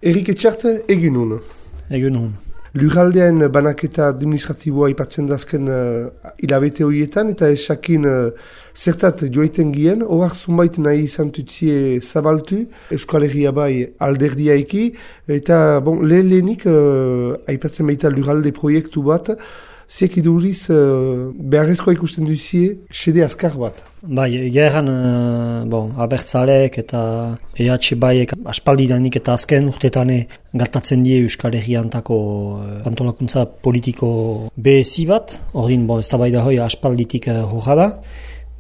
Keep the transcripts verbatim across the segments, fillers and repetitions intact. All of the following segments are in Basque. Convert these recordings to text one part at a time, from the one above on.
Erik Etxart, egin hon. Egin hon. Lurraldean banaketa administratiboa ipatzen dazken uh, hilabete horietan, eta esakin uh, zertat joiten gien, horak zunbait nahi izan tutzie zabaltu, Euskal Herria bai alderdiaiki, eta bon, lehen-lehenik uh, aipatzen baita lurralde proiektu bat, ziek iduriz uh, beharrezkoa ikusten duzie, sede azkar bat. Bai, egeran, uh, bon, abertzalek eta E H baiek aspaldidanik eta azken urtetane gertatzen die Euskal Herriantako uh, antolakuntza politiko behezi bat, ordin, bon, ez da bai da hoi aspalditik uh, horra da.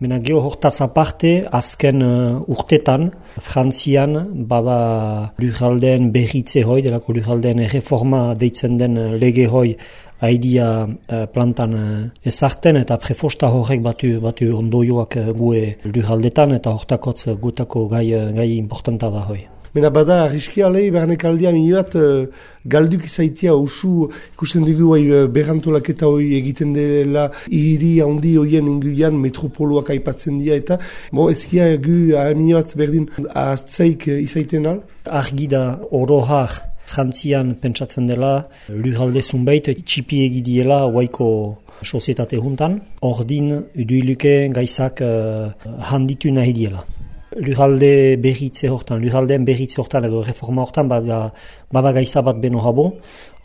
Mena geho hortaz aparte, azken uh, urtetan, Frantzian bada lurraldeen berritze hoi, delako lurraldeen reforma deitzen den uh, lege hoi, haidia uh, plantan uh, ezarten eta prefosta horrek batu, batu ondoioak uh, gue lurraldetan eta hortakotz uh, gutako gai, uh, gai importanta da hoi. Mena bada, arriskia alei, bernek aldia mini bat, uh, galduk izaitia usu ikusten dugu uh, berrantolaketa hoi egiten dela hiri handi hoien inguian metropoloak aipatzen dira eta bo, ezkia gu mini bat berdin atzaik uh, izaiten al? Argi da orohar Frantzian pentsatzen dela lurralde zunbait txipi egidiela waiko sozietate juntan, ordin uduiluke gaizak uh, handitu nahi diela. Lurralde berritze hortan, lurraldeen berritze hortan edo reforma hortan bada, bada gaiza bat beno habo.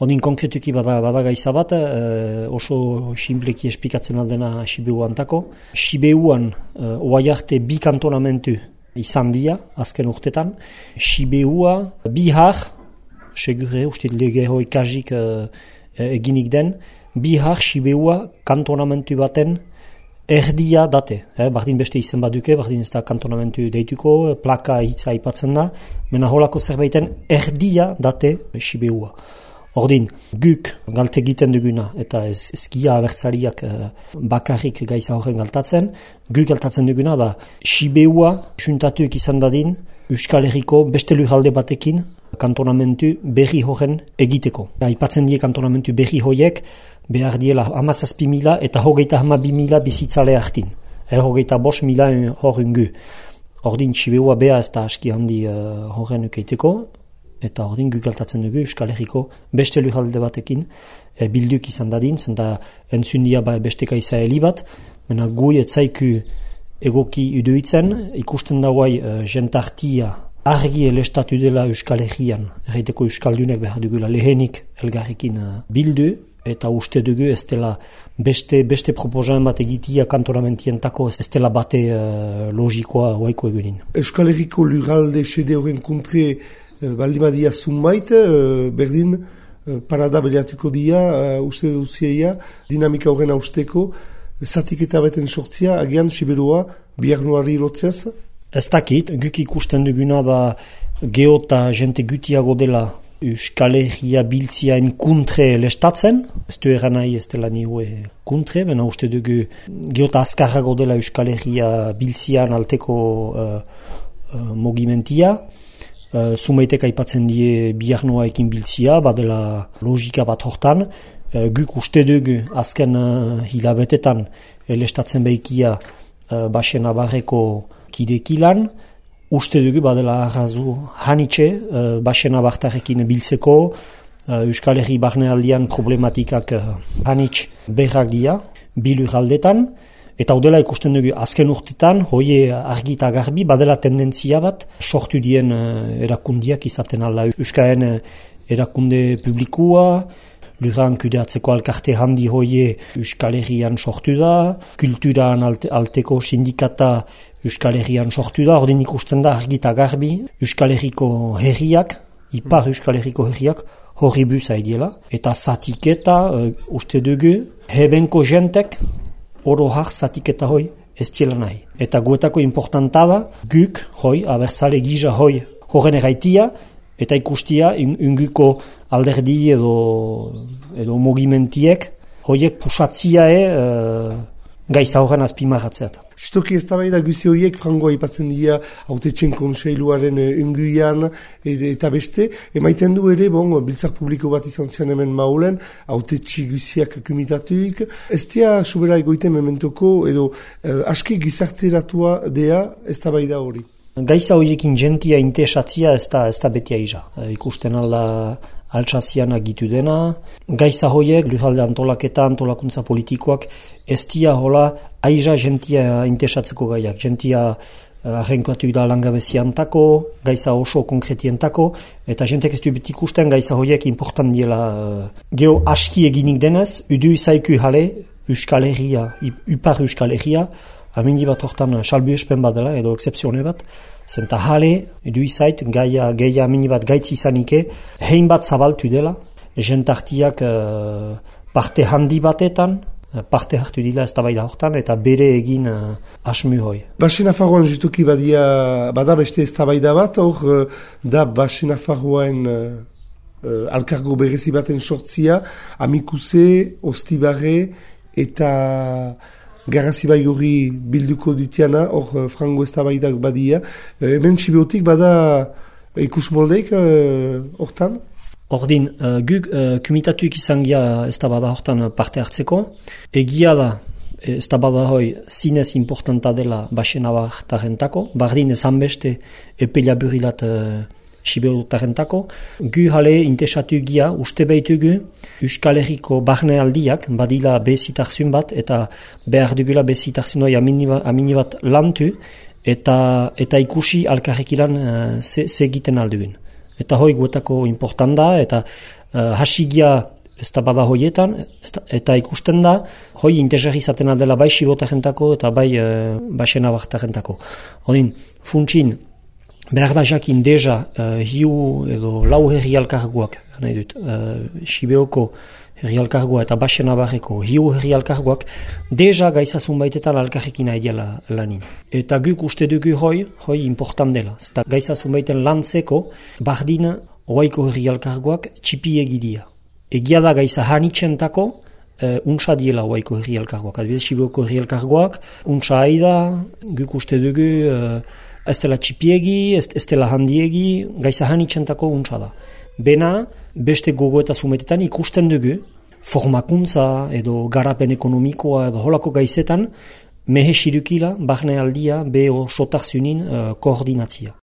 Ordin konkretuki bada, bada gaiza bat, uh, oso simpleki esplikatzen aldena Sibeu antako. Sibeuan uh, oai arte bi kantonamentu izan dia, azken urtetan. Sibeua bihar, segure uste lege hoi kajik uh, eginik den, bihar Sibeua kantonamentu baten erdia date. Eh, bardin beste izen baduke, bardin ez da kantonamentu deituko, plaka hitza aipatzen da, mena holako zerbaiten erdia date Sibeua. Ordin, guk galte egiten duguna, eta ez ezkia abertzariak uh, bakarrik gaiza horren galtatzen, guk galtatzen duguna da Sibeua juntatuek izan dadin Euskal Herriko beste lurralde batekin kantonamentu berri horren egiteko. Aipatzen die kantonamentu berri horiek behar diela hamazazpi mila eta hogeita hamabi mila bizitzale hartin. Er hogeita bos mila hor ungu. Ordin Sibeua beha ez da aski handi uh, horren ukeiteko, eta ordin guk galtatzen dugu Euskal Herriko beste lurralde batekin e, bilduk izan dadin, zenta entzundia ba besteka izaeli bat, mena gui etzaiku egoki iduitzen, ikusten dauai uh, jentartia argi elestatu dela Euskal Herrian, erraiteko Euskaldunek behar dugula lehenik elgarrekin uh, bildu, eta uste dugu ez dela beste, beste proposamen bat egitia kantonamentientako ez dela bate uh, logikoa waiko egunin. Euskal Herriko lurralde sede horren kontre uh, baldimadia zunbait, uh, berdin uh, parada beliatuko dia, uh, uste duzieia, dinamika horren austeko, zatiketa beten sortzia, agian Siberua biharnuari lotzez? Ez dakit, guk ikusten duguna da geota jente gutiago dela Euskal Herria biltziaen kuntre lestatzen, ez du eran nahi ez dela nioe kuntre, bena uste dugu geota azkarrago dela Euskal Herria biltzian alteko uh, uh, mogimentia. Uh, Zumaitek aipatzen die biharnoa ekin biltzia, badela logika bat hortan, uh, guk uste dugu azken uh, hilabetetan lestatzen behikia uh, Baxena Barreko kidekilan, uste dugu badela arrazu hanitxe, uh, Baxena Bartarekin biltzeko, uh, Euskal Herri barnealdian problematikak uh, hanitx berrak dia, bilur aldetan, eta udela ikusten dugu azken urtetan, hoie argi eta garbi, badela tendentzia bat, sortu dien uh, erakundiak izaten alda Euskaren uh, erakunde publikua, lurran kudeatzeko alkarte handi hoie Euskal Herrian sortu da, kulturan alte, alteko sindikata Euskal Herrian sortu da, ordin ikusten da argita garbi Euskal Herriko herriak, ipar Euskal Herriko herriak horri buza ediela, eta zatiketa uh, uste dugu hebenko jentek oro har zatiketa hoi ez diela nahi. Eta guetako importanta da guk hoi, abertzale gisa hoi horren erraitia, eta ikustia unguko alderdi edo, edo mogimentiek hoiek pusatziae uh, gaiza horren azpimarratzeat. Justoki ez da bai da guzi horiek frangoa ipatzen dira autetxen konseiluaren unguian eta beste, emaiten du ere, bon, biltzar publiko bat izan zian hemen maulen, autetxi guziak kumitatuik, ez dira sobera egoiten mementoko edo uh, aski gizarteratua dea ez da bai da hori. Gaiza horiekin jentia intesatzia ez da, ez da beti aiza. E, ikusten alda altsazian agitu dena. Gaiza horiek, lurralde antolaketa, antolakuntza politikoak, ez dia hola aiza jentia intesatzeko gaiak. Jentia arrenkatu da langabeziantako, gaiza oso konkretientako, eta jentek ez du beti ikusten gaiza horiek important diela. Geo aski eginik denez, udu izaiku jale, Euskal Herria, Upar Euskal Herria, amindi bat hortan salbu espen bat dela, edo excepzione bat, zenta jale, edu izait, gaia, gaia amindi bat gaitz izanike, hein bat zabaltu dela, jentartiak uh, parte handi batetan, parte hartu dila ez da bai da hortan, eta bere egin uh, asmu hoi. Basen Nafarroan justuki badia, bada beste ez da bai da bat, hor uh, da Basen Nafarroan uh, uh, alkargo berezi baten sortzia, amikuse, ostibarre, eta Garrazi Baigorri bilduko dutiana, hor frango ez da bai da badia. Uh, hemen Sibeotik bada ikus moldeik hortan? Uh, Ordin, uh, guk uh, kumitatuik izan gira ez da bada hortan parte hartzeko. Egia da, ez da bada hoi zinez importanta dela Basen Nafartarentako, bardin ezan beste epela burilat uh, Sibeotarentako. Gu jale intesatu gira, uste behitugu, Euskal Herriko barne aldiak, badila bezitarzun bat, eta behar dugula bezitarzun hoi amini bat lantu, eta, eta ikusi alkarrekilan uh, ze egiten aldugun. Eta hoi guetako important da, eta uh, hasigia ez da bada hoietan, eta ikusten da, hoi interesgarri izaten dela bai Sibeotarentako eta bai uh, Basen Nafartarentako. Odin, funtsin, behar da jakin deja uh, hiu edo lau herri alkarguak, nahi dut, uh, Sibeoko herri alkargua eta Basen Nafarreko hiu herri alkarguak, deja gaizazun baitetan alkarrekin aideala lanin. Eta guk uste dugu hoi, hoi important dela. Zeta gaizazun baiten lantzeko, bardin oaiko herri alkarguak txipi egidia. Egia da gaiza hanitzentako, uh, untsa diela oaiko herri alkarguak. Adibidez, Sibeoko herri alkarguak, untsa aida, guk uste dugu, uh, ez dela txipiegi, ez, ez dela handiegi, gaiza hanitzentako untsa da. Bena, beste gogo eta zumetetan ikusten dugu, formakuntza edo garapen ekonomikoa edo holako gaizetan, mehe sirukila, barne aldia, beho sotarzunin uh, koordinatzia.